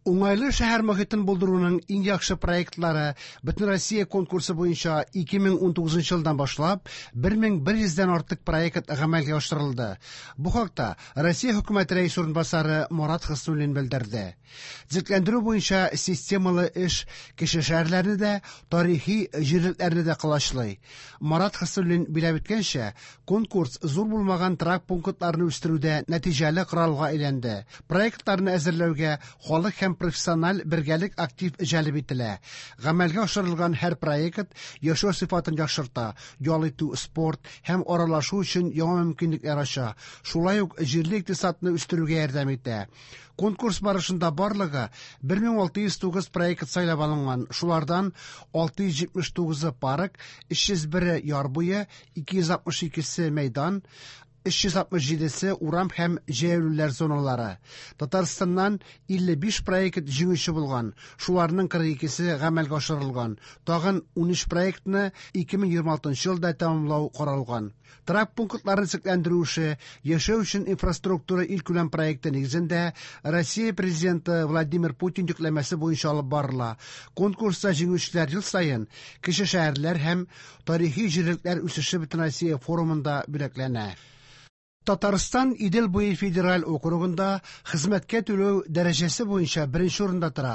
Уңайлы шәһәр мохитен булдыруның иң яхшы проектлары Бөтенроссия конкурсы буенча 2019 елдан башлап 1100 дән артык проект гамәлгә ашырылды. Бу хакта Россия хөкүмәте рәисе урынбасары Марат Хөснуллин белдерде. Төзекләндерү буенча системалы эш кече шәһәрләрне дә, тарихи җирлекләрне дә колачлый. Марат Хөснуллин билгеләп үткәнчә, конкурс зур булмаган торак пунктларны үстерүдә нәтиҗәле коралга әйләнде. Проектларны әзерләүгә халык һәм профессиональ бергәлек актив җәлеп ителә. Гамәлгә ашырылган һәр проект яшәү сыйфатын яхшырта, ял итү, спорт һәм аралашу өчен яңа мөмкинлекләр ача, шулай ук җирле икътисадны үстерүгә ярдәм итә. Конкурс барышында барлыгы 1609 проект сайлап алынган. Шулардан 679-ы парк, 301-е яр буе, 262-се мәйдан, 367-се урам һәм җәяүлеләр зоналары. Татарстаннан 55 проект җиңүче булган, шуларның 42-се гамәлгә ашырылган. Тагын 13 проектны 2026 елда тәмамлау каралган. Торак пунктларын төзекләндерү эше Яшәү өчен инфраструктура илкүләм проекты нигезендә Россия Президенты Владимир Путин йөкләмәсе буенча алып барыла. Конкурста җиңүчеләр ел саен кече шәһәрләр һәм тарихи җирлекләр үсеше Бөтенроссия форумында бүләкләнә. Татарстан Идел буе федераль округында хезмәткә түләү дәрәҗәсе буенча беренче урында тора.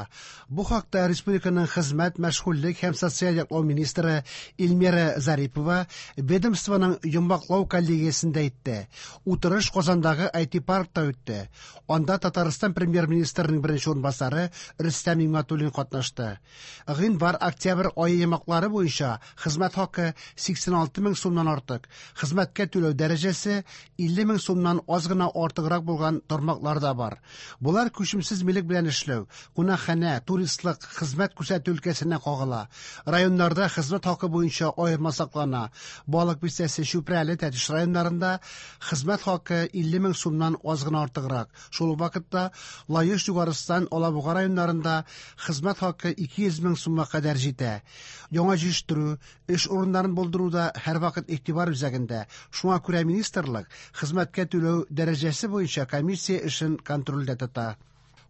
Бу хакта республиканың хезмәт, мәшгульлек һәм социаль яклау министры Эльмира Зарипова ведомствоның йомгаклау коллегиясендә әйтте. Утырыш Казандагы IT-паркта үтте. Анда Татарстан премьер-министрының беренче урынбасары Рөстәм Нигъмәтуллин катнашты. Гыйнвар-октябрь ае йомгаклары буенча хезмәт хакы 86 мең сумнан артык, хезмәткә түләү дәрәҗәсе 50 мең сумнан аз гына артыграк булган тармаклар да бар. Болар күчемсез милек белән эшләү, кунакханә, туристлык, хезмәт күрсәтү өлкәсенә кагыла. Районнарда хезмәт хакы буенча аерма саклана. Балык Бистәсе, Чүпрәле, Тәтеш районнарында хезмәт хакы 50 мең сумнан аз гына артыграк. Шул ук вакытта Лаеш, Югарыстан, Алабуга районнарында хезмәт хакы 200 мең сумга кадәр җитә. Яңа җитештерү, эш урыннарын булдыру да һәрвакыт игътибар үзәгендә. Шуңа күрә министрлык хезмәткә түләү дәрәҗәсе буенча комиссия эшен контрольдә тота.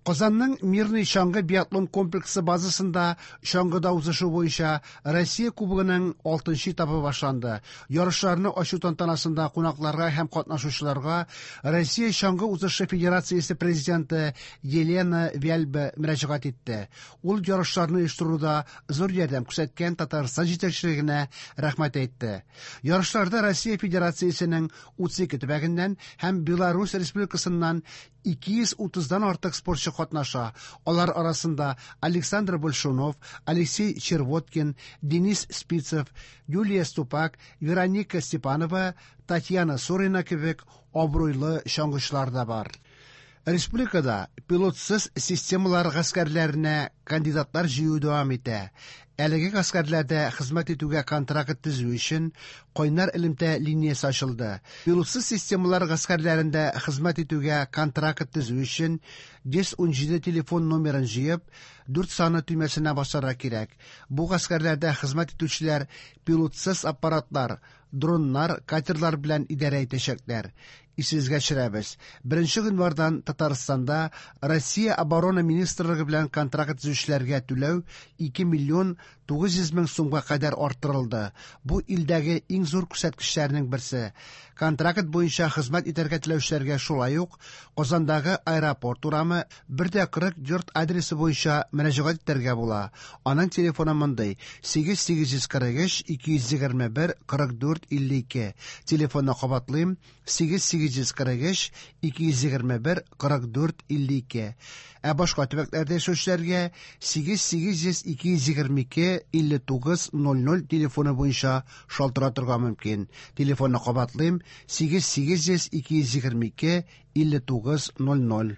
Казанның Мирный чаңгы биатлон комплексы базасында чаңгыда узышу буенча Россия Кубогының 6 этабы башланды. Ярышларны ачу тантанасында кунакларга һәм катнашучыларга Россия чаңгы узышы федерациясе президенты Елена Вяльбе мөрәҗәгать итте. Ул ярышларны оештыруда зур ярдәм күрсәткән Татарстан җитәкчелегенә рәхмәт әйтте. Ярышларда Россия Федерациясенең 32 төбәгеннән һәм Беларусь Республикасыннан 230-дан артык спортчы катнаша. Алар арасында Александр Большунов, Алексей Червоткин, Денис Спицев, Юлия Ступак, Вероника Степанова, Татьяна Сурина кебек абруйлы чаңгычылар да бар. Республикада пилотсыз системалар гаскәрләренә кандидатлар җыю дәвам итә. Әлеге гаскәрләрдә хезмәт итүгә контракт төзү өчен кайнар элемтә линиясе ачылды. Пилотсыз системалар гаскәрләрендә хезмәт итүгә контракт төзү өчен 117 телефон номерын җыеп, 4 саны төймәсенә басарга кирәк. Бу гаскәрләрдә хезмәт итүчеләр пилотсыз аппаратлар, дроннар, катерлар белән идарә итәчәкләр. Исегезгә төшерәбез. 1 гыйнвардан Татарстанда Россия Оборона министрлыгы белән контракт төзүчеләргә түләү 2 миллион 900 мең сумга кадәр арттырылды. Бу илдәге иң зур күрсәткечләрнең берсе. Контракт буенча хезмәт итәргә теләүчеләргә шулай ук Казандагы аэропорт урамы 1.40 йорт адресы буенча мөрәҗәгать итәргә була. Аның телефоны мондый: 8843 221 44 52. Телефонны кабатлыйм: 8843 221 44 52. Ә башка төбәкләрдә яшәүчеләргә 8800 222 59 00 телефоны буенча шалтыратырга мөмкин. Телефонны кабатлыйм: 8800 222 59 00.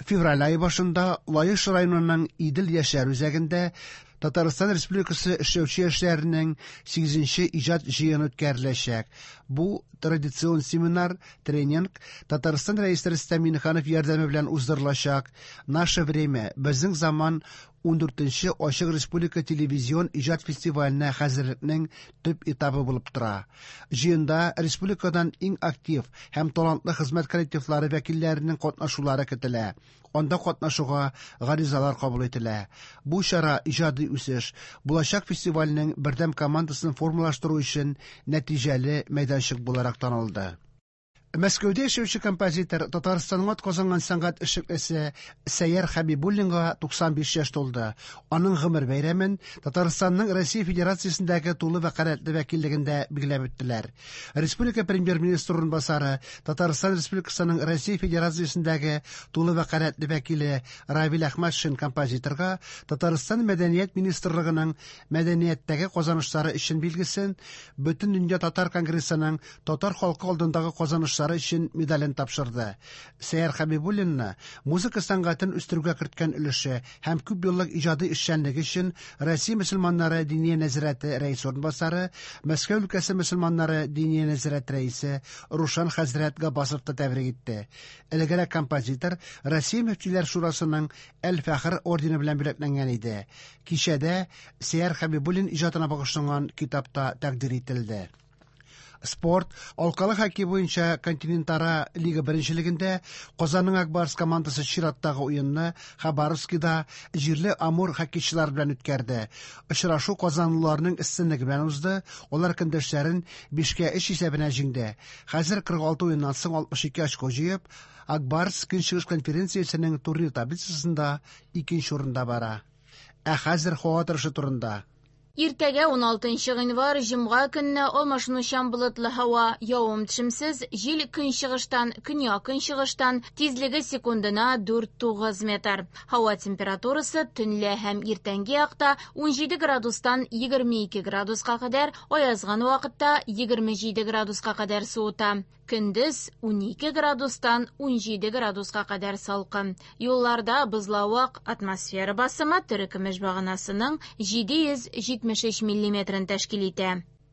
Февраль ае башында Лаеш районының Идел яшьләр үзәгендә Татарстан Республикасы эшләүче яшьләренең 8-нче иҗат җыены үткәреләчәк. Бу традицион семинар, тренинг Татарстан Рәисе Рөстәм Миңнеханов ярдәме белән уздырылачак. Наше время, безнең заман. 14нче Ачык республика телевизион иҗат фестиваленә хәзерлекнең төп этабы булып тора. Җыенда республикадан иң актив һәм талантлы хезмәт коллективлары вәкилләренең катнашулары көтелә. Анда катнашуга гаризалар кабул ителә. Бу чара иҗади үсеш, булачак фестивальнең бердәм командасын формалаштыру өчен нәтиҗәле мәйданчык буларак танылды. Мәскәүдә яшәүче композитор, Татарстанның атказанган сәнгать эшлеклесе Сәйяр Хәбибуллинга 95 яшь тулды. Аның гомер бәйрәмен Татарстанның Россия Федерациясендәге тулы вәкаләтле вәкиллегендә билгеләп үттеләр. Республика премьер-министры урынбасары, Татарстан Республикасының Россия Федерациясендәге тулы вәкаләтле вәкиле Равил Әхмәтшин композиторга Татарстан Мәдәният министрлыгының мәдәнияттәге казанышлары өчен билгесен, Бөтендөнья татар конгрессының татар халкы алдындагы казанышлары өчен медален тапшырды. Сәйяр Хәбибуллинны музыка сәнгатен үстерүгә керткән өлеше һәм күп еллык иҗади эшчәнлеге өчен Россия мөселманнары Диния нәзарәте рәисе урынбасары, Мәскәү өлкәсе мөселманнары Диния нәзарәте рәисе Рушан хәзрәт Габбасов та тәбрик итте. Элегрәк композитор Россия мөфтиләр шурасының Әл-Фәхр ордены белән бүләкләнгән иде. Кичәдә Сәйяр Хәбибуллин иҗатына багышланган китап та тәкъдир ителде. Спорт, алкалы хоккей буенча континентара лига беренчелегендә Казанның Ак Барс командасы чираттагы уенны Хабаровскида җирле Амур хоккейчылары белән үткәрде. Очрашу казанлыларның өстенлеге белән узды, алар көндәшләрен 5-3 исәбенә җиңде. Хәзер 46 уеннан соң 62 очко җыеп, Ак Барс Көнчыгыш конференциясенең турнир таблицасында икенче урында бара. Ә хәзер һава торышы турында. Иртәгә 16 гыйнвар җомга көнне алмашынучан болытлы һава, явым-төшемсез, җил көнчыгыштан, көньяк-көнчыгыштан, тизлеге секундына 4-9 метр. Һава температурасы төнлә һәм иртәнге якта 17 градустан 22 градуска кадәр, аязган вакытта 27 градуска кадәр суыта. Көндез 12 градустан 17 градуска кадәр салкын. Юлларда бозлавык, атмосфера басымы терекөмеш баганасының 773 миллиметрын тәшкил итә.